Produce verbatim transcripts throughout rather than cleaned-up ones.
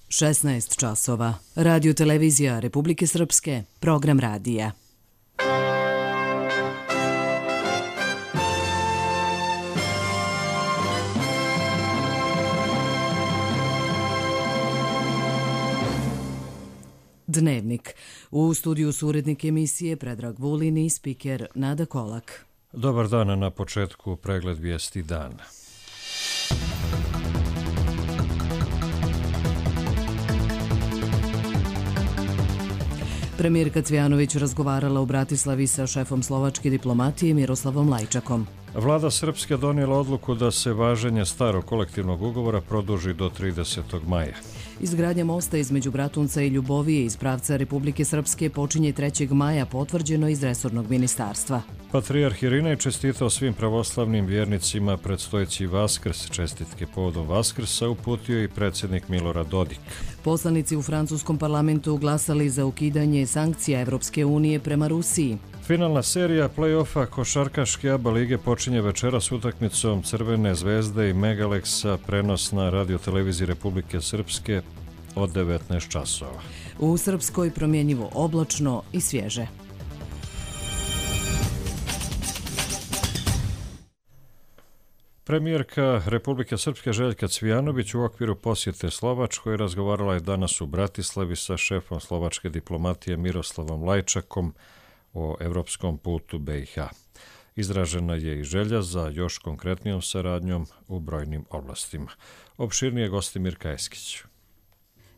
šesnaest časova. Radio televizija Republike Srpske, program radija. Dnevnik. U studiju su urednik emisije Predrag Vulin i spiker Nada Kolak. Dobar dan, na početku pregled vijesti dana. Premijerka Cvijanović razgovarala u Bratislavi sa šefom slovačke diplomatije Miroslavom Lajčakom. Vlada Srpske donijela odluku da se važenje starog kolektivnog ugovora produži do tridesetog maja. Izgradnja mosta između Bratunca i Ljubovije iz pravca Republike Srpske počinje trećeg maja, potvrđeno iz resornog ministarstva. Patrijarh Irinej čestitao svim pravoslavnim vjernicima predstojeći Vaskrs. Čestitke povodom Vaskrsa uputio i predsjednik Milorad Dodik. Poslanici u francuskom parlamentu glasali za ukidanje sankcija Evropske unije prema Rusiji. Finalna serija play-offa košarkaške A B A lige počinje večeras utakmicom Crvene zvezde i Megaleksa, prenos na radio televiziji Republike Srpske od devetnaest časova. U Srpskoj promjenjivo oblačno i svježe. Premijerka Republike Srpske Željka Cvijanović u okviru posjete Slovačkoj razgovarala je danas u Bratislavi sa šefom slovačke diplomatije Miroslavom Lajčakom o evropskom putu B i H. Izražena je i želja za još konkretnijom saradnjom u brojnim oblastima. Opširnije gosti Mirka Eskić.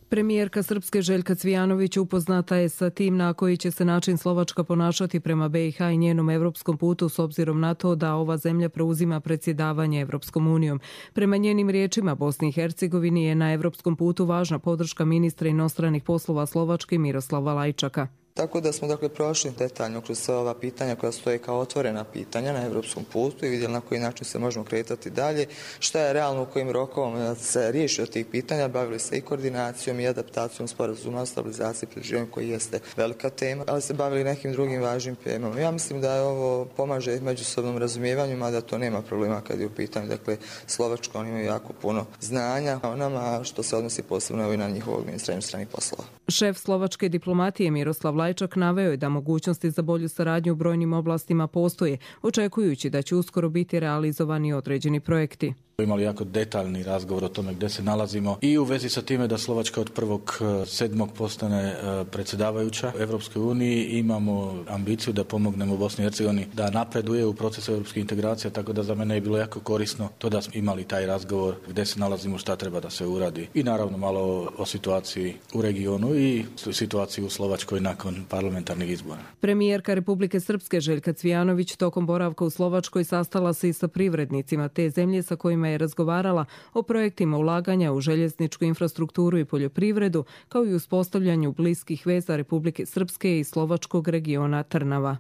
Premijerka Srpske Željka Cvijanović upoznata je sa tim na koji će se način Slovačka ponašati prema B i H i njenom evropskom putu s obzirom na to da ova zemlja preuzima predsjedavanje Evropskom unijom. Prema njenim riječima, Bosni i Hercegovini je na evropskom putu važna podrška ministra inostranih poslova Slovačke Miroslava Lajčaka. Tako da smo dakle prošli detaljno kroz sve ova pitanja koja stoje kao otvorena pitanja na evropskom putu i vidjeli na koji način se možemo kretati dalje, šta je realno u kojim rokovima se riješi od tih pitanja, bavili se i koordinacijom i adaptacijom sporazuma o stabilizaciji i pridruživanju koji jeste velika tema, ali se bavili nekim drugim važnim temama. Ja mislim da je ovo pomaže međusobnom razumijevanju, mada to nema problema kad je u pitanju. Dakle, Slovačka, oni imaju jako puno znanja o nama, što se odnosi posebno i na njihovog ministra inostranih poslova. Šef slovačke diplomatije Miroslav Lajčak naveo je da mogućnosti za bolju saradnju u brojnim oblastima postoje, očekujući da će uskoro biti realizovani određeni projekti. Imali jako detaljni razgovor o tome gdje se nalazimo i u vezi sa time da Slovačka od prvog sedmog postane predsjedavajuća Evropskoj uniji. Imamo ambiciju da pomognemo Bosni i Hercegovini da napreduje u procesu europskih integracija, tako da za mene je bilo jako korisno to da smo imali taj razgovor gdje se nalazimo, šta treba da se uradi i naravno malo o situaciji u regionu i situaciji u Slovačkoj nakon parlamentarnih izbora. Premijerka Republike Srpske Željka Cvijanović tokom boravka u Slovačkoj sastala se i sa privrednicima te zemlje sa kojima je razgovarala o projektima ulaganja u željezničku infrastrukturu i poljoprivredu, kao i uspostavljanju bliskih veza Republike Srpske i slovačkog regiona Trnava.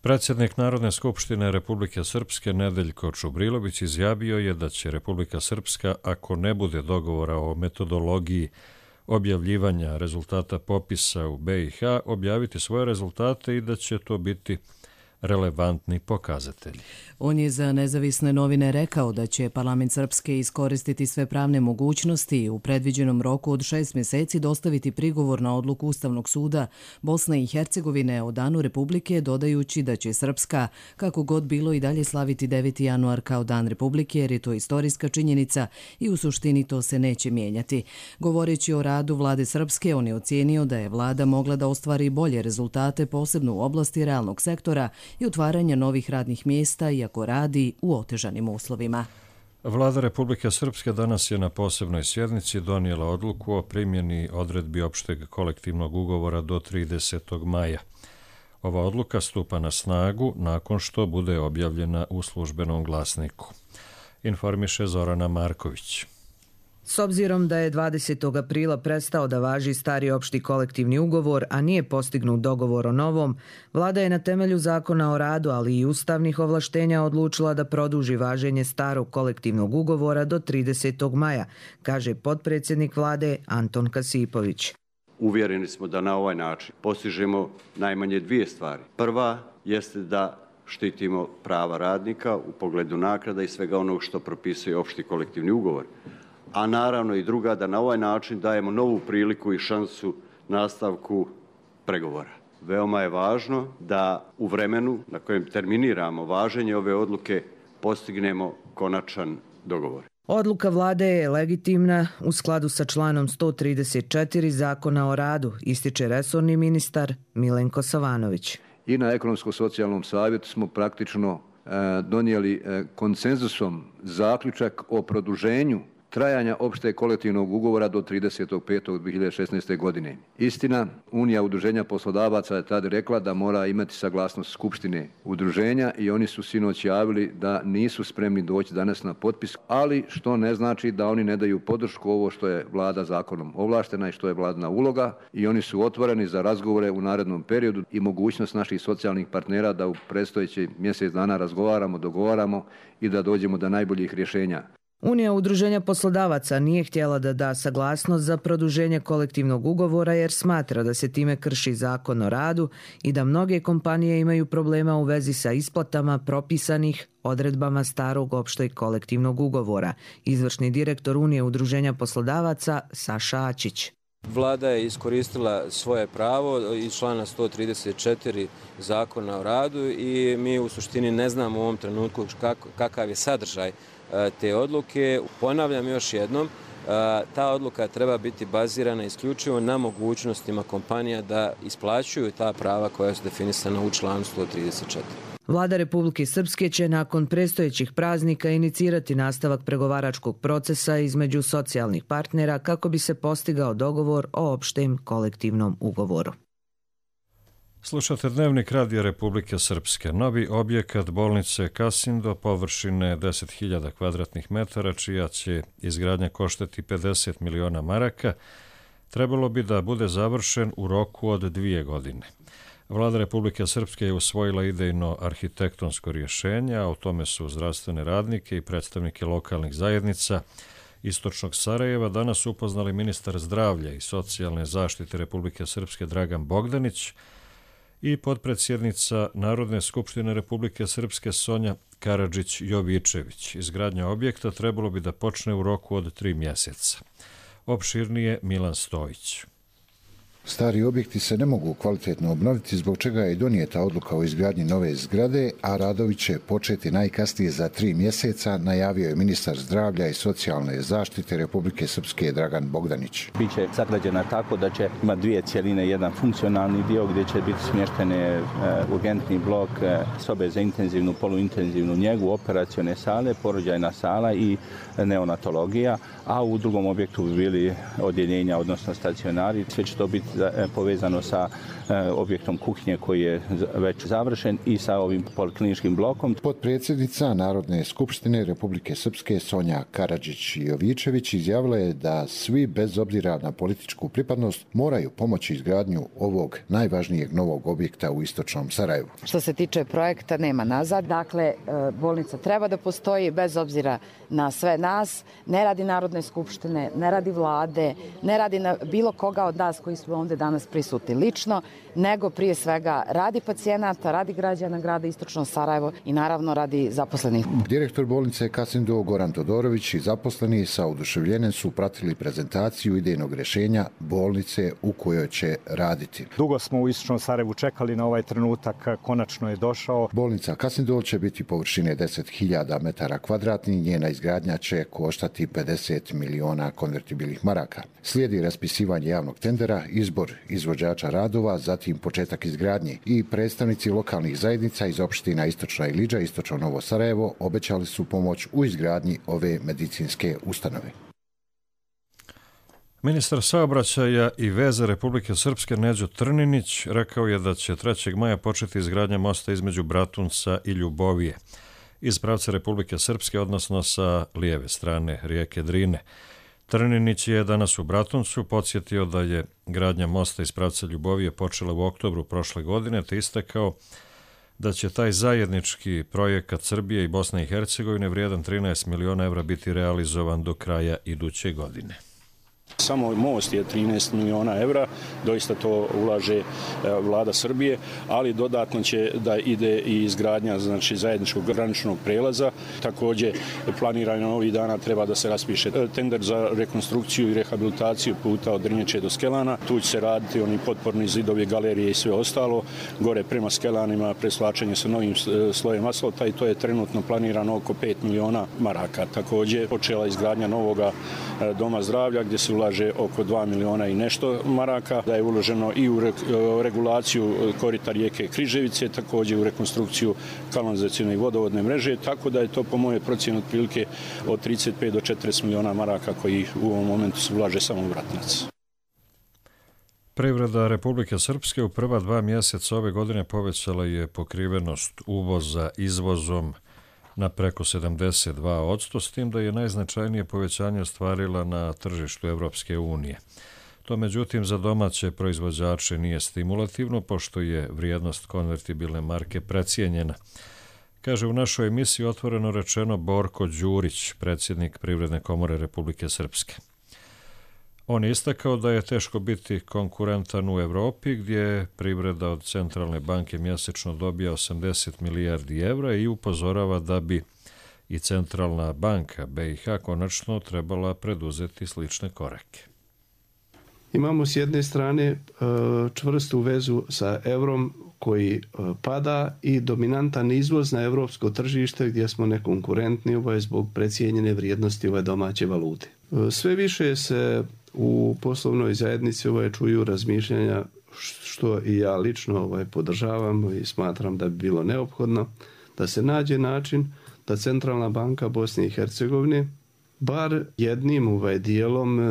Predsjednik Narodne skupštine Republike Srpske Nedeljko Čubrilović izjavio je da će Republika Srpska, ako ne bude dogovora o metodologiji objavljivanja rezultata popisa u B i H, objaviti svoje rezultate i da će to biti relevantni pokazatelji. On je za nezavisne novine rekao da će parlament Srpske iskoristiti sve pravne mogućnosti i u predviđenom roku od šest mjeseci dostaviti prigovor na odluku Ustavnog suda Bosne i Hercegovine o danu Republike, dodajući da će Srpska, kako god bilo, i dalje slaviti deveti januar kao dan Republike, jer je to istorijska činjenica i u suštini to se neće mijenjati. Govoreći o radu vlade Srpske, on je ocijenio da je vlada mogla da ostvari bolje rezultate, posebno u oblasti realnog sektora i otvaranja novih radnih mjesta, iako radi u otežanim uslovima. Vlada Republike Srpske danas je na posebnoj sjednici donijela odluku o primjeni odredbi opšteg kolektivnog ugovora do tridesetog maja. Ova odluka stupa na snagu nakon što bude objavljena u službenom glasniku. Informiše Zorana Marković. S obzirom da je dvadesetog aprila prestao da važi stari opšti kolektivni ugovor, a nije postignut dogovor o novom, vlada je na temelju zakona o radu, ali i ustavnih ovlaštenja odlučila da produži važenje starog kolektivnog ugovora do tridesetog maja, kaže potpredsjednik vlade Anton Kasipović. Uvjereni smo da na ovaj način postižemo najmanje dvije stvari. Prva jeste da štitimo prava radnika u pogledu naknada i svega onog što propisuje opšti kolektivni ugovor. a naravno i druga da na ovaj način dajemo novu priliku i šansu nastavku pregovora. Veoma je važno da u vremenu na kojem terminiramo važenje ove odluke postignemo konačan dogovor. Odluka vlade je legitimna u skladu sa članom sto trideset četiri Zakona o radu, ističe resorni ministar Milenko Savanović. I na ekonomsko-socijalnom savjetu smo praktično e, donijeli e, konsenzusom zaključak o produženju trajanja opšte kolektivnog ugovora do tridesetog petog dve hiljade šesnaeste. godine. Istina, Unija udruženja poslodavaca je tada rekla da mora imati saglasnost Skupštine udruženja i oni su sinoć javili da nisu spremni doći danas na potpis, ali što ne znači da oni ne daju podršku ovo što je vlada zakonom ovlaštena i što je vladina uloga i oni su otvoreni za razgovore u narednom periodu i mogućnost naših socijalnih partnera da u predstojeći mjesec dana razgovaramo, dogovaramo i da dođemo do najboljih rješenja. Unija udruženja poslodavaca nije htjela da da saglasnost za produženje kolektivnog ugovora jer smatra da se time krši Zakon o radu i da mnoge kompanije imaju problema u vezi sa isplatama propisanih odredbama starog opšteg kolektivnog ugovora. Izvršni direktor Unije udruženja poslodavaca Saša Ačić. Vlada je iskoristila svoje pravo iz člana sto trideset četiri Zakona o radu i mi u suštini ne znamo u ovom trenutku kakav je sadržaj te odluke. Ponavljam još jednom, ta odluka treba biti bazirana isključivo na mogućnostima kompanija da isplaćuju ta prava koja su definisana u članu sto trideset četiri. Vlada Republike Srpske će nakon predstojećih praznika inicirati nastavak pregovaračkog procesa između socijalnih partnera kako bi se postigao dogovor o opštem kolektivnom ugovoru. Slušate Dnevnik Radija Republike Srpske. Novi objekat bolnice Kasindo površine deset hiljada kvadratnih metara, čija će izgradnja koštati pedeset miliona maraka, trebalo bi da bude završen u roku od dvije godine. Vlada Republike Srpske je usvojila idejno arhitektonsko rješenje, a o tome su zdravstvene radnike i predstavnike lokalnih zajednica Istočnog Sarajeva danas upoznali ministar zdravlja i socijalne zaštite Republike Srpske Dragan Bogdanić i potpredsjednica Narodne skupštine Republike Srpske Sonja Karadžić-Jovičević. Izgradnja objekta trebalo bi da počne u roku od tri mjeseca. Opširnije Milan Stojić. Stari objekti se ne mogu kvalitetno obnoviti, zbog čega je donijeta odluka o izgradnji nove zgrade, a radovi će početi najkasnije za tri mjeseca, najavio je ministar zdravlja i socijalne zaštite Republike Srpske Dragan Bogdanić. Biće sagrađena tako da će imati dvije cjeline, jedan funkcionalni dio gdje će biti smještene urgentni blok, sobe za intenzivnu, poluintenzivnu njegu, operacione sale, porođajna sala i neonatologija, a u drugom objektu bi bili odjeljenja, odnosno stacionari. Sve će to biti povezano sa objektom kuhinje koji je već završen i sa ovim polikliničkim blokom. Potpredsjednica Narodne skupštine Republike Srpske Sonja Karadžić-Jovičević izjavila je da svi bez obzira na političku pripadnost moraju pomoći izgradnju ovog najvažnijeg novog objekta u Istočnom Sarajevu. Što se tiče projekta, nema nazad. Dakle, bolnica treba da postoji bez obzira na sve nas. Ne radi Narodne skupštine, ne radi vlade, ne radi na bilo koga od nas koji smo ovdje danas prisutni lično, nego prije svega radi pacijenata, radi građana grada Istočno Sarajevo i naravno radi zaposlenih. Direktor bolnice Kasindo Goran Todorović i zaposleni sa oduševljenjem su pratili prezentaciju idejnog rješenja bolnice u kojoj će raditi. Dugo smo u Istočnom Sarajevu čekali na ovaj trenutak, konačno je došao. Bolnica Kasindo će biti površine deset hiljada metara kvadratnih, njena izgradnja će koštati pedeset miliona konvertibilnih maraka. Slijedi raspisivanje javnog tendera, izbor izvođača radova, zatim početak izgradnje i predstavnici lokalnih zajednica iz opština Istočna Ilidža i Istočno Novo Sarajevo obećali su pomoć u izgradnji ove medicinske ustanove. Ministar saobraćaja i veza Republike Srpske Neđo Trninić rekao je da će trećeg maja početi izgradnja mosta između Bratunca i Ljubovije iz pravca Republike Srpske, odnosno sa lijeve strane rijeke Drine. Trninić je danas u Bratuncu podsjetio da je gradnja mosta iz pravca Ljubovije počela u oktobru prošle godine, te istakao da će taj zajednički projekat Srbije i Bosne i Hercegovine vrijedan trinaest miliona evra biti realizovan do kraja iduće godine. Samo most je trinaest miliona evra, doista to ulaže vlada Srbije, ali dodatno će da ide i izgradnja znači, zajedničkog graničnog prelaza. Također planirano ovih dana treba da se raspiše tender za rekonstrukciju i rehabilitaciju puta od Drnječe do Skelana. Tu će se raditi oni potporni zidovi, galerije i sve ostalo. Gore prema Skelanima preslačenje sa novim slojem asfalta i to je trenutno planirano oko pet miliona maraka. Također počela izgradnja novoga doma zdravlja gdje se ulaže oko dva miliona i nešto maraka. Da je uloženo i u regulaciju korita rijeke Križevice, također u rekonstrukciju kanalizacione i vodovodne mreže, tako da je to po moje procjeni otprilike od trideset pet do četrdeset miliona maraka koji u ovom momentu se ulaže samo u Vratinac. Privreda Republike Srpske u prva dva mjeseca ove godine povećala je pokrivenost uvoza izvozom na preko sedamdeset dva posto, s tim da je najznačajnije povećanje ostvarila na tržištu Evropske unije. To međutim za domaće proizvođače nije stimulativno, pošto je vrijednost konvertibilne marke precijenjena. Kaže u našoj emisiji otvoreno rečeno Borko Đurić, predsjednik Privredne komore Republike Srpske. On je istakao da je teško biti konkurentan u Evropi, gdje privreda od centralne banke mjesečno dobija osamdeset milijardi evra i upozorava da bi i centralna banka B i H konačno trebala preduzeti slične korake. Imamo s jedne strane čvrstu vezu sa eurom koji pada i dominantan izvoz na evropsko tržište gdje smo nekonkurentni ovaj, zbog precijenjene vrijednosti ove domaće valute. Sve više se u poslovnoj zajednici ovaj, čuju razmišljanja što i ja lično ovaj, podržavam i smatram da bi bilo neophodno da se nađe način da Centralna banka Bosne i Hercegovine bar jednim ovaj dijelom e,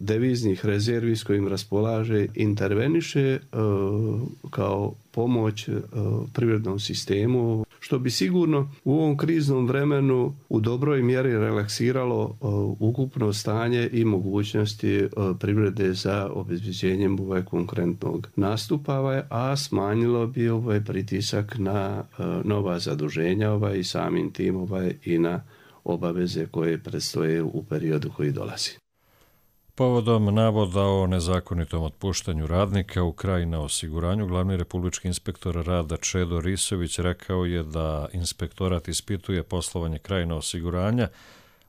deviznih rezervi s kojim raspolaže interveniše e, kao pomoć e, privrednom sistemu, što bi sigurno u ovom kriznom vremenu u dobroj mjeri relaksiralo e, ukupno stanje i mogućnosti e, privrede za obezbeđenjem ovaj konkurentnog nastupa, a smanjilo bi ovaj pritisak na e, nova zaduženja ovaj, i samim tim ovaj, i na obaveze koje predstoje u periodu koji dolazi. Povodom navoda o nezakonitom otpuštanju radnika u Krajina osiguranju, glavni republički inspektor rada Čedo Risović rekao je da inspektorat ispituje poslovanje Krajina osiguranja,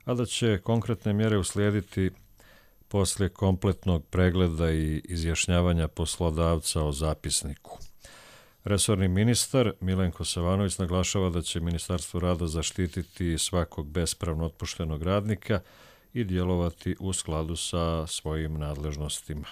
a da će konkretne mjere uslijediti poslije kompletnog pregleda i izjašnjavanja poslodavca o zapisniku. Resorni ministar Milenko Savanović naglašava da će Ministarstvo rada zaštititi svakog bespravno otpuštenog radnika i djelovati u skladu sa svojim nadležnostima.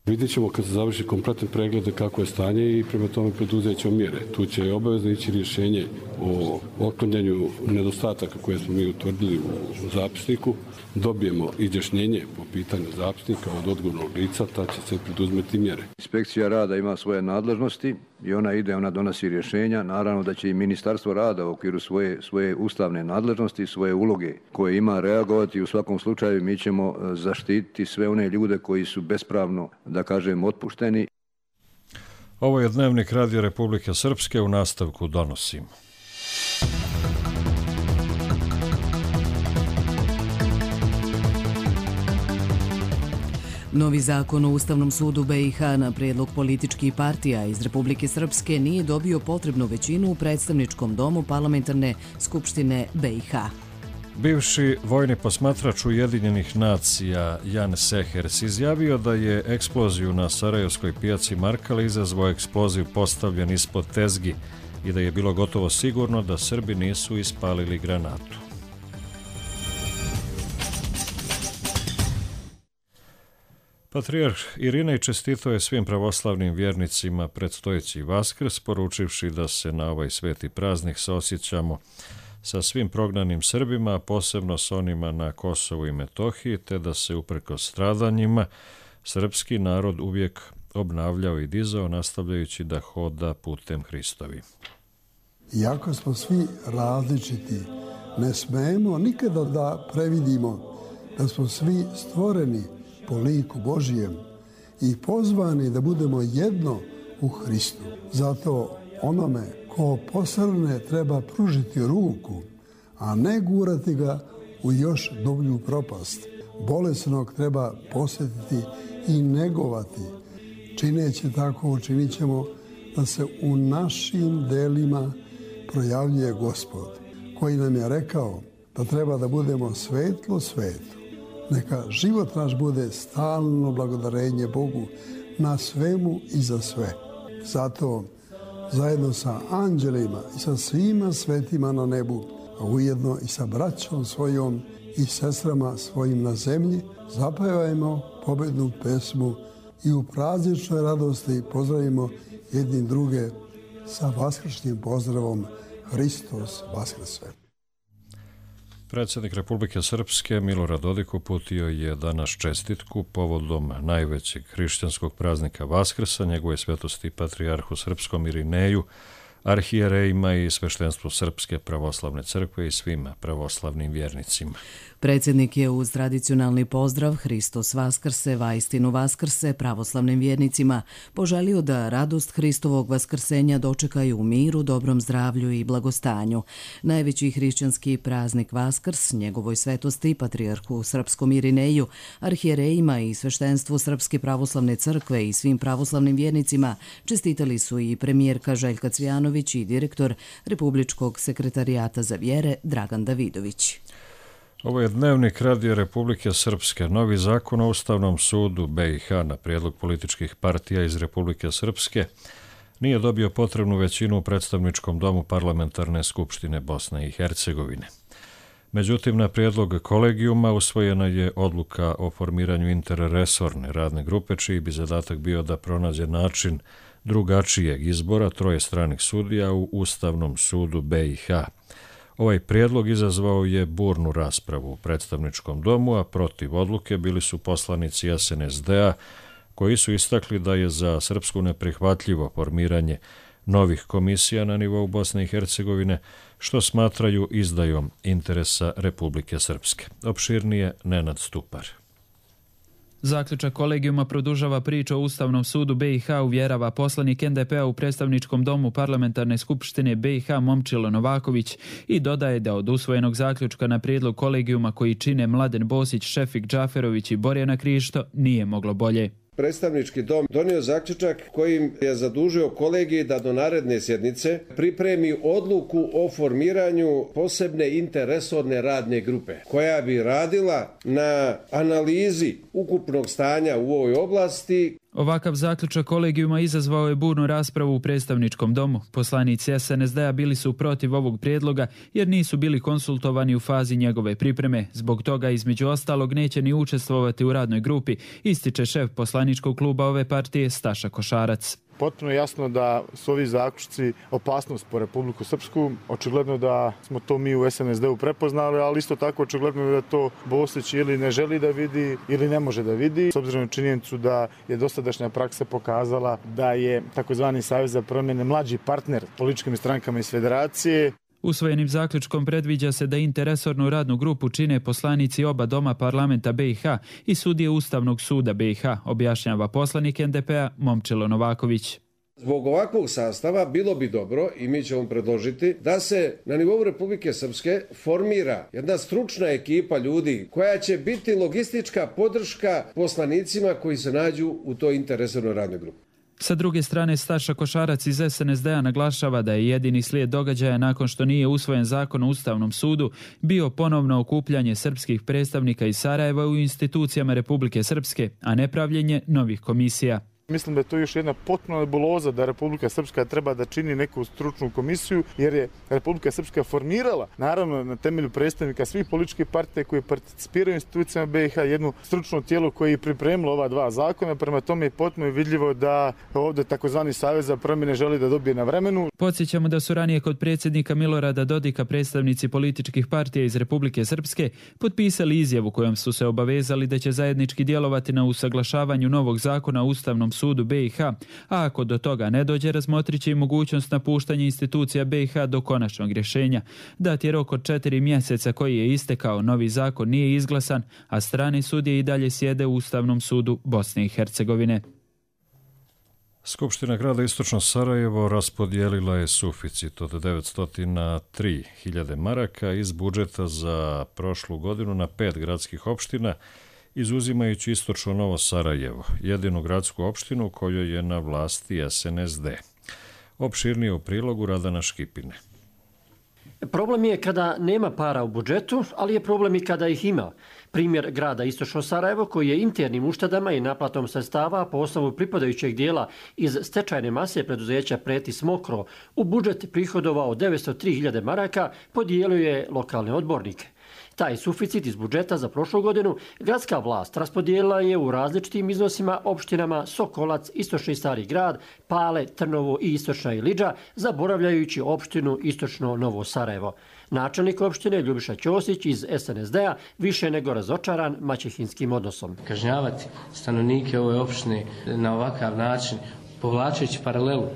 Vidjet ćemo kad se završi kompletan pregled kako je stanje i prema tome preduzet ćemo mjere. Tu će obavezno ići rješenje o otklanjanju nedostataka koje smo mi utvrdili u zapisniku. Dobijemo izjašnjenje po pitanju zapisnika od odgovornog lica, ta će se preduzmeti mjere. Inspekcija rada ima svoje nadležnosti i ona ide, ona donosi rješenja. Naravno da će i Ministarstvo rada u okviru svoje, svoje ustavne nadležnosti i svoje uloge koje ima reagovati. U svakom slučaju mi ćemo zaštititi sve one ljude koji su bespravno, da kažem, otpušteni. Ovo je Dnevnik Radio Republike Srpske, u nastavku donosim. Novi zakon o Ustavnom sudu B i H na prijedlog političkih partija iz Republike Srpske nije dobio potrebnu većinu u predstavničkom domu Parlamentarne skupštine B i H. Bivši vojni posmatrač Ujedinjenih nacija Jan Sehers izjavio da je eksploziju na Sarajevskoj pijaci Markale izazvao eksploziv postavljen ispod tezgi i da je bilo gotovo sigurno da Srbi nisu ispalili granatu. Patrijarh Irinej čestitao je svim pravoslavnim vjernicima predstojeći Vaskrs, poručivši da se na ovaj sveti praznik saosjećamo sa svim prognanim Srbima, a posebno s onima na Kosovu i Metohiji, te da se uprkos stradanjima srpski narod uvijek obnavljao i dizao, nastavljajući da hoda putem Hristovi. Iako smo svi različiti, ne smemo nikada da previdimo da smo svi stvoreni po liku Božijem i pozvani da budemo jedno u Hristu. Zato onome ko posrne treba pružiti ruku, a ne gurati ga u još dublju propast. bolesnog treba posjetiti i negovati. Čineći tako, učinit ćemo da se u našim delima projavljuje Gospod, koji nam je rekao da treba da budemo svetlo svetu. Neka život naš bude stalno blagodarenje Bogu na svemu i za sve. Zato zajedno sa anđelima i sa svima svetima na nebu, a ujedno i sa braćom svojom i sestrama svojim na zemlji, zapevajmo pobednu pesmu i u prazničnoj radosti pozdravimo jednim druge sa vaskršnjim pozdravom Hristos Vaskrse. Predsjednik Republike Srpske Milorad Dodik uputio je danas čestitku povodom najvećeg hrišćanskog praznika Vaskrsa, njegove svetosti patrijarhu srpskom Irineju, arhijerejima i sveštenstvu Srpske pravoslavne crkve i svim pravoslavnim vjernicima. Predsjednik je uz tradicionalni pozdrav Hristos Vaskrse, vaistinu Vaskrse pravoslavnim vjernicima poželio da radost Hristovog vaskrsenja dočekaju u miru, dobrom zdravlju i blagostanju. Najveći hrišćanski praznik Vaskrs, njegovoj svetosti patrijarhu srpskom Irineju, arhijerejima i sveštenstvu Srpske pravoslavne crkve i svim pravoslavnim vjernicima čestitali su i premijerka Željka Cvijanović i direktor Republičkog sekretarijata za vjere Dragan Davidović. Ovo je Dnevnik Radio Republike Srpske. Novi zakon o Ustavnom sudu B i H na prijedlog političkih partija iz Republike Srpske nije dobio potrebnu većinu u predstavničkom domu Parlamentarne skupštine Bosne i Hercegovine. Međutim, na prijedlog kolegijuma usvojena je odluka o formiranju interresorne radne grupe, čiji bi zadatak bio da pronađe način drugačijeg izbora troje stranih sudija u Ustavnom sudu B i H. Ovaj prijedlog izazvao je burnu raspravu u predstavničkom domu, a protiv odluke bili su poslanici S N S D-a, koji su istakli da je za Srpsku neprihvatljivo formiranje novih komisija na nivou Bosne i Hercegovine, što smatraju izdajom interesa Republike Srpske. Opširnije Nenad Stupar. Zaključak kolegijuma produžava priču o Ustavnom sudu B i H, uvjerava poslanik N D P-a u predstavničkom domu Parlamentarne skupštine B i H Momčilo Novaković i dodaje da od usvojenog zaključka na prijedlog kolegijuma koji čine Mladen Bosić, Šefik Džaferović i Borjana Krišto nije moglo bolje. Predstavnički dom donio zaključak kojim je zadužio kolegij da do naredne sjednice pripremi odluku o formiranju posebne interresorne radne grupe koja bi radila na analizi ukupnog stanja u ovoj oblasti. Ovakav zaključak kolegijuma izazvao je burnu raspravu u predstavničkom domu. Poslanici S N S D-a bili su protiv ovog prijedloga jer nisu bili konsultovani u fazi njegove pripreme. Zbog toga između ostalog neće ni učestvovati u radnoj grupi, ističe šef poslaničkog kluba ove partije Staša Košarac. Potpuno jasno da su ovi zaključci opasnost po Republiku Srpsku. Očigledno da smo to mi u S N S D-u prepoznali, ali isto tako očigledno da to Bosić ili ne želi da vidi ili ne može da vidi. S obzirom na činjenicu da je dosadašnja praksa pokazala da je takozvani Savez za promjene mlađi partner političkim strankama iz federacije. Usvojenim zaključkom predviđa se da interresornu radnu grupu čine poslanici oba doma parlamenta B i H i sudije Ustavnog suda B i H, objašnjava poslanik N D P-a Momčilo Novaković. Zbog ovakvog sastava bilo bi dobro, i mi ćemo predložiti, da se na nivou Republike Srpske formira jedna stručna ekipa ljudi koja će biti logistička podrška poslanicima koji se nađu u toj interresornoj radnoj grupi. Sa druge strane, Staša Košarac iz S N S D-a naglašava da je jedini slijed događaja nakon što nije usvojen zakon o Ustavnom sudu bio ponovno okupljanje srpskih predstavnika iz Sarajeva u institucijama Republike Srpske, a ne pravljenje novih komisija. Mislim da je to još jedna potpuna nebuloza da Republika Srpska treba da čini neku stručnu komisiju, jer je Republika Srpska formirala, naravno na temelju predstavnika svih političkih partija koji participiraju u institucijama B i H, jedno stručno tijelo koje je pripremilo ova dva zakona, prema tome je potpuno vidljivo da ovdje takozvani Savez za promjene želi da dobije na vremenu. Podsjećamo da su ranije kod predsjednika Milorada Dodika predstavnici političkih partija iz Republike Srpske potpisali izjavu kojom su se obavezali da će zajednički djelovati na usaglašavanju novog zakona o Ustavnom sudu B i H, a ako do toga ne dođe, razmotrit će i mogućnost napuštanja institucija B i H do konačnog rješenja. Dat je rok od četiri mjeseca koji je istekao, novi zakon nije izglasan, a strane sudije i dalje sjede u Ustavnom sudu Bosne i Hercegovine. Skupština grada Istočno Sarajevo raspodijelila je suficit od devetsto tri hiljade maraka iz budžeta za prošlu godinu na pet gradskih opština izuzimajući istočno Novo Sarajevo, jedinu gradsku opštinu u kojoj je na vlasti S N S D. Opširnije u prilogu Radana Škipine. Problem je kada nema para u budžetu, ali je problem i kada ih ima. Primjer grada Istočno Sarajevo, koji je internim uštedama i naplatom sredstava po osnovu pripadajućeg dijela iz stečajne mase preduzeća Pretis Mokro u budžet prihodovao devetsto tri hiljade maraka, podijelio je lokalne odbornike. Taj suficit iz budžeta za prošlu godinu gradska vlast raspodijelila je u različitim iznosima opštinama Sokolac, Istočni Stari grad, Pale, Trnovo i Istočna Ilidža, zaboravljajući opštinu Istočno Novo Sarajevo. Načelnik opštine Ljubiša Ćosić iz S N S D-a više nego razočaran maćehinskim odnosom. Kažnjavati stanovnike ove opštine na ovakav način, povlačeći paralelu,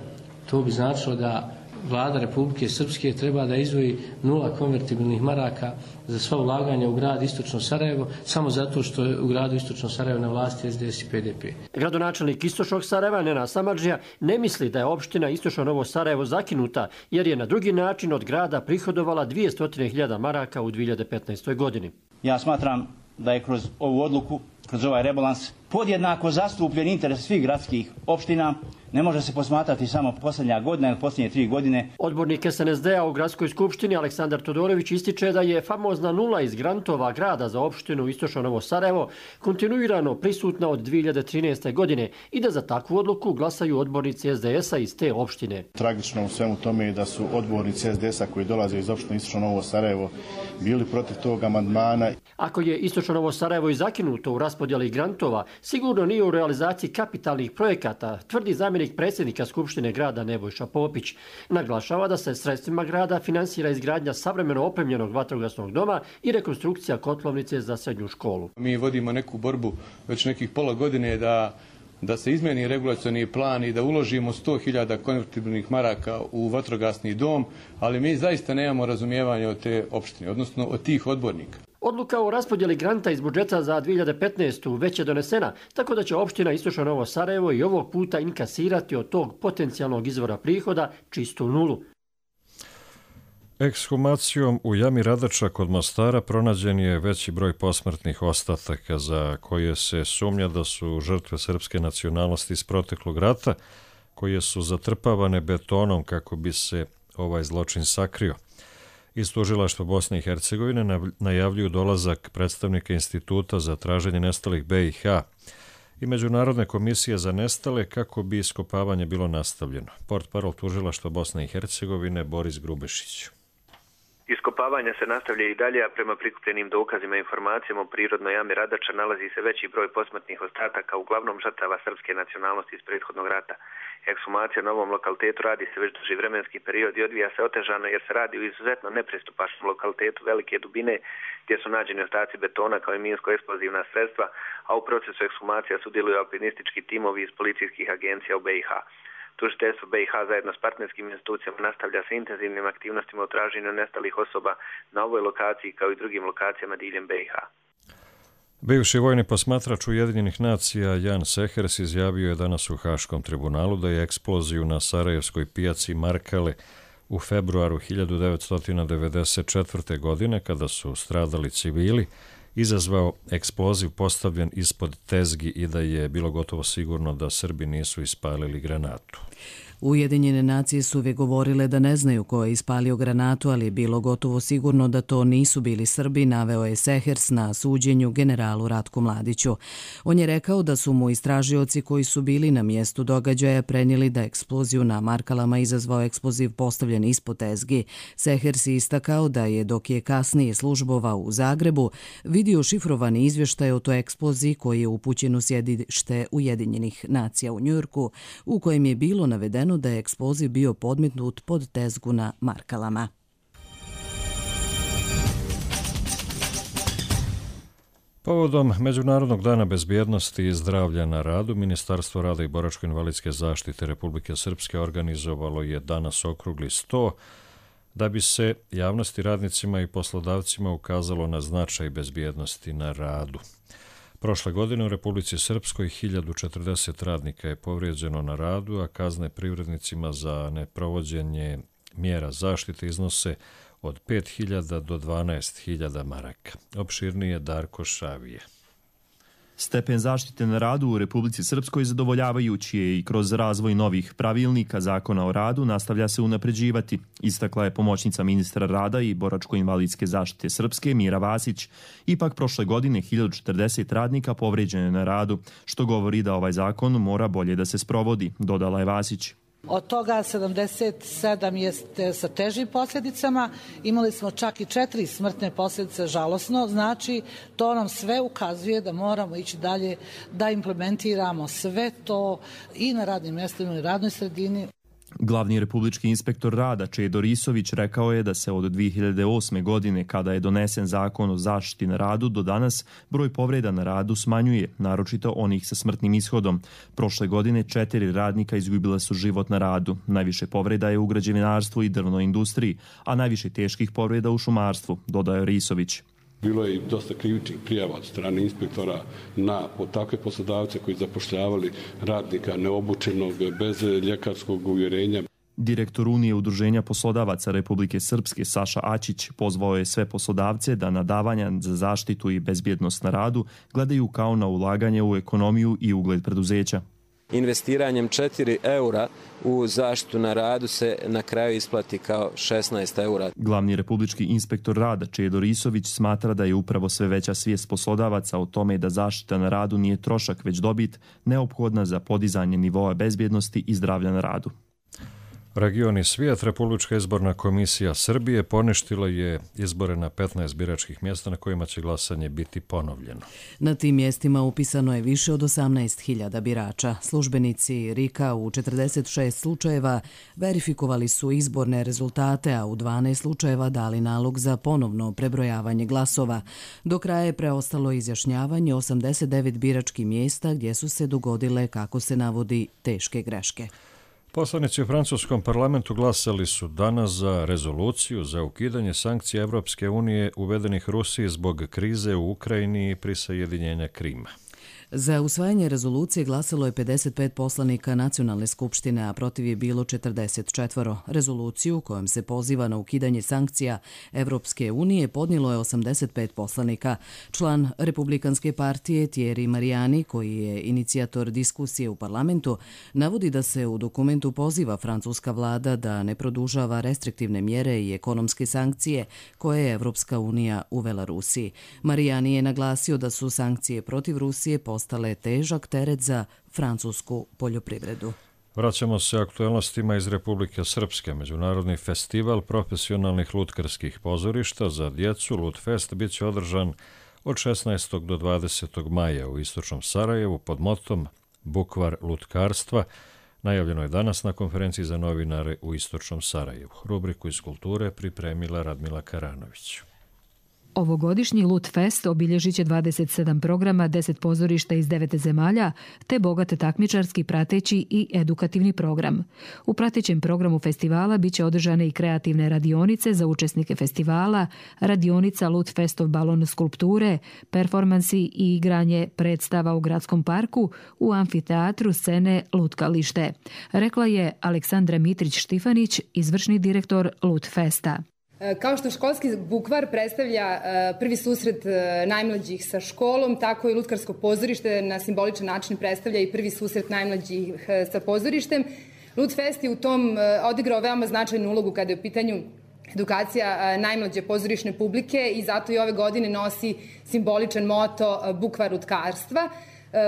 to bi značilo da Vlada Republike Srpske treba da izdvoji nula konvertibilnih maraka za sva ulaganja u grad Istočno Sarajevo, samo zato što je u gradu Istočno Sarajevo na vlasti S D S i P D P. Gradonačelnik Istočnog Sarajeva, Nenad Samardžija, ne misli da je opština Istočno Novo Sarajevo zakinuta, jer je na drugi način od grada prihodovala dvjesto hiljada maraka u dvije hiljade petnaestoj. godini. Ja smatram da je kroz ovu odluku, kroz ovaj rebalans, podjednako zastupljen interes svih gradskih opština. Ne može se posmatrati samo posljednja godina ili posljednje tri godine. Odbornik S N S D-a u gradskoj skupštini Aleksandar Todorović ističe da je famozna nula iz grantova grada za opštinu Istočno Novo Sarajevo kontinuirano prisutna od dvije hiljade trinaeste. godine i da za takvu odluku glasaju odbornici S D S-a iz te opštine. Tragično u svemu tome je da su odbornici S D S-a koji dolaze iz opštine Istočno Novo Sarajevo bili protiv tog amandmana. Ako je Istočno Novo Sarajevo i zakinuto u raspodjeli grantova, sigurno nije u realizaciji kapitalnih projekata, tvrdi zamjenik predsjednika Skupštine grada Nebojša Popić. Naglašava da se sredstvima grada finansira izgradnja savremeno opremljenog vatrogasnog doma i rekonstrukcija kotlovnice za srednju školu. Mi vodimo neku borbu već nekih pola godine da da se izmeni regulacioni plan i da uložimo sto hiljada konvertibilnih maraka u vatrogasni dom, ali mi zaista nemamo razumijevanja od te opštine, odnosno od tih odbornika. Odluka o raspodjeli granta iz budžeta za dvije hiljade petnaestu. već je donesena, tako da će opština Istočno Novo Sarajevo i ovog puta inkasirati od tog potencijalnog izvora prihoda čistu nulu. Ekshumacijom u jami Radača kod Mostara pronađen je veći broj posmrtnih ostataka za koje se sumnja da su žrtve srpske nacionalnosti iz proteklog rata, koje su zatrpavane betonom kako bi se ovaj zločin sakrio. Iz tužilaštva Bosne i Hercegovine najavljuju dolazak predstavnika Instituta za traženje nestalih B i H i Međunarodne komisije za nestale kako bi iskopavanje bilo nastavljeno. Portparol tužilaštva Bosne i Hercegovine Boris Grubešić. Iskopavanje se nastavlja i dalje, a prema prikupljenim dokazima i informacijama o prirodnoj jami Radača nalazi se veći broj posmrtnih ostataka, uglavnom žrtava srpske nacionalnosti iz prethodnog rata. Ekshumacija na ovom lokalitetu radi se već duži vremenski period i odvija se otežano jer se radi u izuzetno nepristupačnom lokalitetu velike dubine gdje su nađeni ostaci betona kao i minsko-eksplozivna sredstva, a u procesu ekshumacija sudjeluju alpinistički timovi iz policijskih agencija u B i H. Tužiteljstvo B i H zajedno s partnerskim institucijama nastavlja sa intenzivnim aktivnostima u traženju nestalih osoba na ovoj lokaciji kao i drugim lokacijama diljem B i H. Bivši vojni posmatrač Ujedinjenih nacija Jan Sehers izjavio je danas u Haškom tribunalu da je eksploziju na Sarajevskoj pijaci Markale u februaru hiljadu devetsto devedeset četvrte. godine, kada su stradali civili, izazvao eksploziv postavljen ispod tezgi i da je bilo gotovo sigurno da Srbi nisu ispalili granatu. Ujedinjene nacije su uvijek govorile da ne znaju ko je ispalio granatu, ali je bilo gotovo sigurno da to nisu bili Srbi, naveo je Sehers na suđenju generalu Ratku Mladiću. On je rekao da su mu istražioci koji su bili na mjestu događaja prenijeli da eksploziju na Markalama izazvao eksploziv postavljen ispod tezgi. Sehers je istakao da je, dok je kasnije službovao u Zagrebu, vidio šifrovani izvještaj o toj eksploziji koji je upućen u sjedište Ujedinjenih nacija u Njujorku, u kojem je bilo navedeno da je eksploziv bio podmetnut pod tezgu na Markalama. Povodom Međunarodnog dana bezbjednosti i zdravlja na radu, Ministarstvo rada i boračko-invalidske zaštite Republike Srpske organizovalo je danas okrugli sto da bi se javnosti, radnicima i poslodavcima ukazalo na značaj bezbjednosti na radu. Prošle godine u Republici Srpskoj hiljadu četrdeset radnika je povrijeđeno na radu, a kazne privrednicima za neprovođenje mjera zaštite iznose od pet hiljada do dvanaest hiljada maraka. Opširnije Darko Šavije. Stepen zaštite na radu u Republici Srpskoj zadovoljavajući je i kroz razvoj novih pravilnika Zakona o radu nastavlja se unapređivati, istakla je pomoćnica ministra rada i boračko-invalidske zaštite Srpske Mira Vasić. Ipak prošle godine hiljadu četrdeset radnika povređeno je na radu, što govori da ovaj zakon mora bolje da se sprovodi, dodala je Vasić. Od toga sedamdeset sedam jeste sa težim posljedicama, imali smo čak i četiri smrtne posljedice, žalosno, znači to nam sve ukazuje da moramo ići dalje, da implementiramo sve to i na radnim mjestima i na radnoj sredini. Glavni republički inspektor rada Čedo Risović rekao je da se od dvije hiljade osme. godine, kada je donesen zakon o zaštiti na radu, do danas broj povreda na radu smanjuje, naročito onih sa smrtnim ishodom. Prošle godine četiri radnika izgubila su život na radu. Najviše povreda je u građevinarstvu i drvnoj industriji, a najviše teških povreda u šumarstvu, dodao Risović. Bilo je i dosta krivičnih prijava od strane inspektora na takve poslodavce koji zapošljavali radnika neobučenog, bez ljekarskog uvjerenja. Direktor Unije udruženja poslodavaca Republike Srpske Saša Ačić pozvao je sve poslodavce da na davanja za zaštitu i bezbjednost na radu gledaju kao na ulaganje u ekonomiju i ugled preduzeća. Investiranjem četiri eura u zaštitu na radu se na kraju isplati kao šesnaest eura. Glavni republički inspektor rada Čedo Risović smatra da je upravo sve veća svijest poslodavaca o tome da zaštita na radu nije trošak već dobit, neophodna za podizanje nivoa bezbjednosti i zdravlja na radu. Regioni svijet, Republička izborna komisija Srbije poništila je izbore na petnaest biračkih mjesta na kojima će glasanje biti ponovljeno. Na tim mjestima upisano je više od osamnaest hiljada birača. Službenici R I K-a u četrdeset šest slučajeva verifikovali su izborne rezultate, a u dvanaest slučajeva dali nalog za ponovno prebrojavanje glasova. Do kraja je preostalo izjašnjavanje osamdeset devet biračkih mjesta gdje su se dogodile, kako se navodi, teške greške. Poslanici u francuskom parlamentu glasali su danas za rezoluciju za ukidanje sankcija Evropske unije uvedenih Rusiji zbog krize u Ukrajini i prisajedinjenja Krima. Za usvajanje rezolucije glasalo je pedeset pet poslanika Nacionalne skupštine, a protiv je bilo četrdeset četiri. Rezoluciju kojom se poziva na ukidanje sankcija Evropske unije podnijelo je osamdeset pet poslanika. Član Republikanske partije Thierry Mariani, koji je inicijator diskusije u parlamentu, navodi da se u dokumentu poziva francuska vlada da ne produžava restriktivne mjere i ekonomske sankcije koje je Evropska unija uvela Rusiji. Mariani je naglasio da su sankcije protiv Rusije postale težak teret za francusku poljoprivredu. Vraćamo se aktuelnostima iz Republike Srpske. Međunarodni festival profesionalnih lutkarskih pozorišta za djecu Lutfest bit će održan od šesnaestog do dvadesetog maja u istočnom Sarajevu pod motom Bukvar lutkarstva. Najavljeno je danas na konferenciji za novinare u istočnom Sarajevu. Rubriku iz kulture pripremila Radmila Karanović. Ovogodišnji Lutfest obilježit će dvadeset sedam programa, deset pozorišta iz devet zemalja, te bogat takmičarski, prateći i edukativni program. U pratećem programu festivala bit će održane i kreativne radionice za učesnike festivala, radionica Lutfestov balon skulpture, performansi i igranje predstava u gradskom parku, u amfiteatru scene Lutkalište, rekla je Aleksandra Mitrić-Štifanić, izvršni direktor Lutfesta. Kao što školski bukvar predstavlja prvi susret najmlađih sa školom, tako i lutkarsko pozorište na simboličan način predstavlja i prvi susret najmlađih sa pozorištem. Lutfest je u tom odigrao veoma značajnu ulogu kada je u pitanju edukacija najmlađe pozorišne publike i zato i ove godine nosi simboličan moto Bukvar lutkarstva.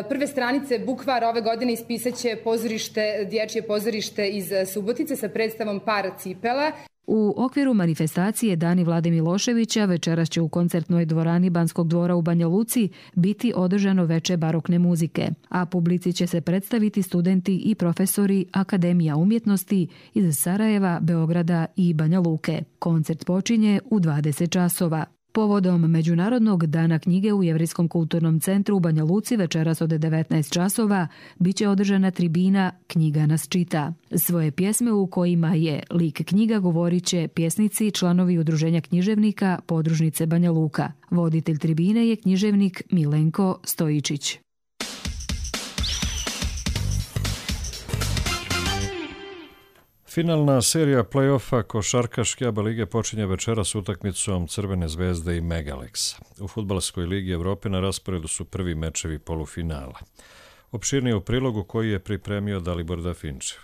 Prve stranice Bukvar ove godine ispisaće pozorište, dječje pozorište iz Subotice sa predstavom Par cipela. U okviru manifestacije Dani Vlade Miloševića večeras će u koncertnoj dvorani Banskog dvora u Banja Luci biti održano veče barokne muzike, a publici će se predstaviti studenti i profesori Akademija umjetnosti iz Sarajeva, Beograda i Banja Luke. Koncert počinje u dvadeset časova. Povodom Međunarodnog dana knjige u Jevrijskom kulturnom centru u Banja Luci večeras od devetnaest časova biće održana tribina Knjiga nas čita. Svoje pjesme u kojima je lik knjiga govorit će pjesnici, članovi Udruženja književnika podružnice Banja Luka. Voditelj tribine je književnik Milenko Stojičić. Finalna serija play-offa košarkaške A B A lige počinje večeras utakmicom Crvene zvezde i Megaleksa. U Fudbalskoj ligi Evrope na rasporedu su prvi mečevi polufinala. Opširnije u prilogu koji je pripremio Dalibor Dafinčev.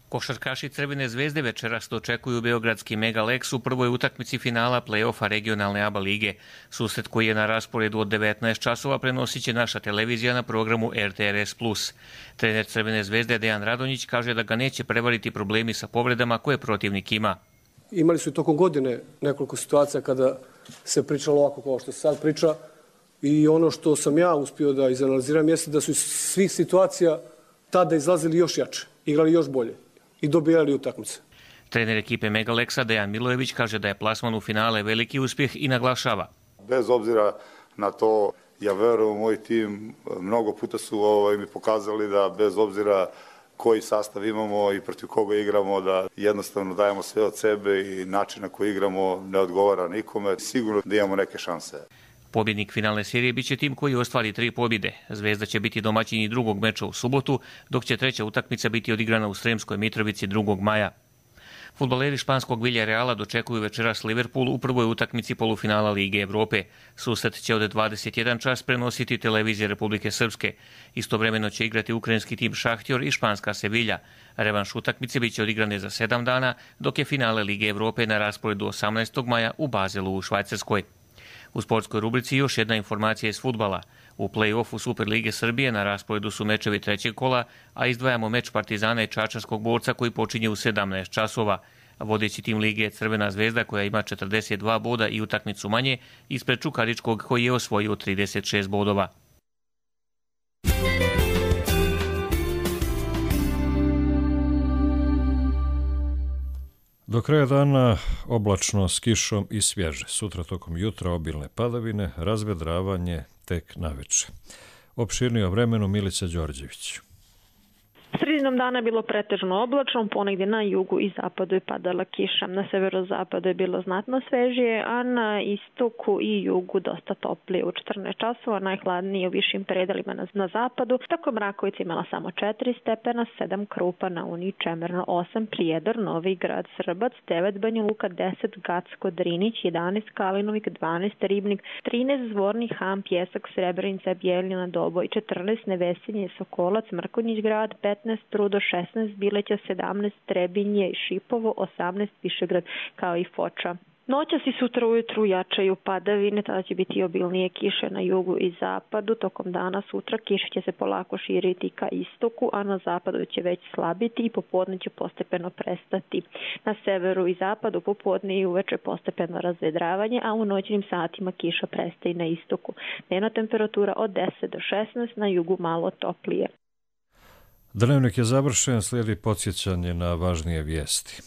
Košarkaši Crvene zvezde večeras dočekuju beogradski Megaleks u prvoj utakmici finala play-offa regionalne A B A lige. Susret koji je na rasporedu od devetnaest časova prenosit će naša televizija na programu R T R S plus. Trener Crvene zvezde Dejan Radonjić kaže da ga neće prevariti problemi sa povredama koje protivnik ima. Imali su i tokom godine nekoliko situacija kada se pričalo ovako kao što se sad priča i ono što sam ja uspio da izanaliziram jeste da su iz svih situacija tada izlazili još jače, igrali još bolje i dobijali utakmice. Trener ekipe Megaleksa Dejan Milojević kaže da je plasman u finale veliki uspjeh i naglašava. Bez obzira na to, ja verujem u moj tim, mnogo puta su ovaj, mi pokazali da bez obzira koji sastav imamo i protiv koga igramo, da jednostavno dajemo sve od sebe i način na koji igramo ne odgovara nikome. Sigurno da imamo neke šanse. Pobjednik finalne serije biće tim koji ostvari tri pobjede. Zvezda će biti domaćini drugog meča u subotu, dok će treća utakmica biti odigrana u Sremskoj Mitrovici drugog maja. Fudbaleri španskog Villarreala dočekuju večeras Liverpool u prvoj utakmici polufinala Lige Evrope. Susret će od dvadeset jedan čas prenositi televizija Republike Srpske. Istovremeno će igrati ukrajinski tim Šahtjor i španska Sevilja. Revanš utakmice biće odigrane za sedam dana, dok je finale Lige Evrope na rasporedu osamnaestog maja u Bazelu u Švajcarskoj. U sportskoj rubrici još jedna informacija iz fudbala. U play-offu Super Lige Srbije na rasporedu su mečevi trećeg kola, a izdvajamo meč Partizana i Čačanskog borca koji počinje u sedamnaest časova. Vodeći tim lige je Crvena zvezda koja ima četrdeset dva boda i utakmicu manje, ispred Čukaričkog koji je osvojio trideset šest bodova. Do kraja dana oblačno s kišom i svježe. Sutra tokom jutra obilne padavine, razvedravanje tek naveče. Opširnije o vremenu Milica Đorđević. Sredinom dana je bilo pretežno oblačno, ponegdje na jugu i zapadu je padala kiša. Na severozapadu je bilo znatno svežije, a na istoku i jugu dosta toplije. U četrnaest časova najhladnije u višim predelima na, na zapadu, tako Mrakovica imala samo četiri stepena, sedam Krupa, na Uniji Čemerno osam, Prijedor, Novi Grad, Srbac devet, Banja Luka deset, Gacko, Drinić jedanaest, Kalinovik dvanaest, Ribnik trinaest, Zvorni Han, Pjesak, Srebrenica, Bjeljina, Doboj četrnaest, Nevesinje, Sokolac, Mrkonjić Grad petnaest, Trudo šesnaest, Bileća sedamnaest, Trebinje i Šipovo osamnaest, Višegrad kao i Foča. Noćas i sutra ujutru jačaju padavine, tada će biti obilnije kiše na jugu i zapadu. Tokom dana sutra kiša će se polako širiti ka istoku, a na zapadu će već slabiti i popodne će postepeno prestati. Na severu i zapadu popodne i uveče postepeno razvedravanje, a u noćnim satima kiša prestaje na istoku. Dnevna temperatura od deset do šesnaest, na jugu malo toplije. Dnevnik je završen, slijedi podsjećanje na važnije vijesti.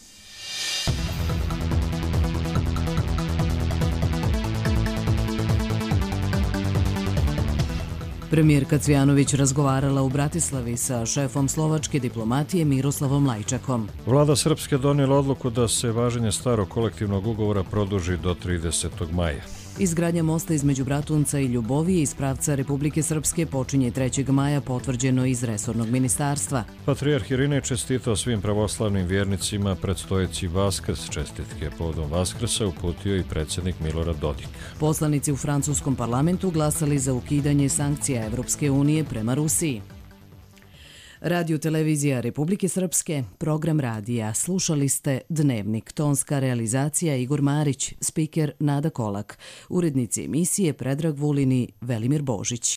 Premijerka Cvijanović razgovarala u Bratislavi sa šefom slovačke diplomatije Miroslavom Lajčakom. Vlada Srpske donijela odluku da se važenje starog kolektivnog ugovora produži do tridesetog maja. Izgradnja mosta između Bratunca i Ljubovije iz pravca Republike Srpske počinje trećeg maja, potvrđeno iz resornog ministarstva. Patrijarh Irinej čestitao svim pravoslavnim vjernicima predstojeći Vaskrs. Čestitke povodom Vaskrsa uputio i predsjednik Milorad Dodik. Poslanici u francuskom parlamentu glasali za ukidanje sankcija Evropske unije prema Rusiji. Radio televizija Republike Srpske, program radija. Slušali ste Dnevnik, tonska realizacija Igor Marić, spiker Nada Kolak, urednici emisije Predrag Vulin i Velimir Božić.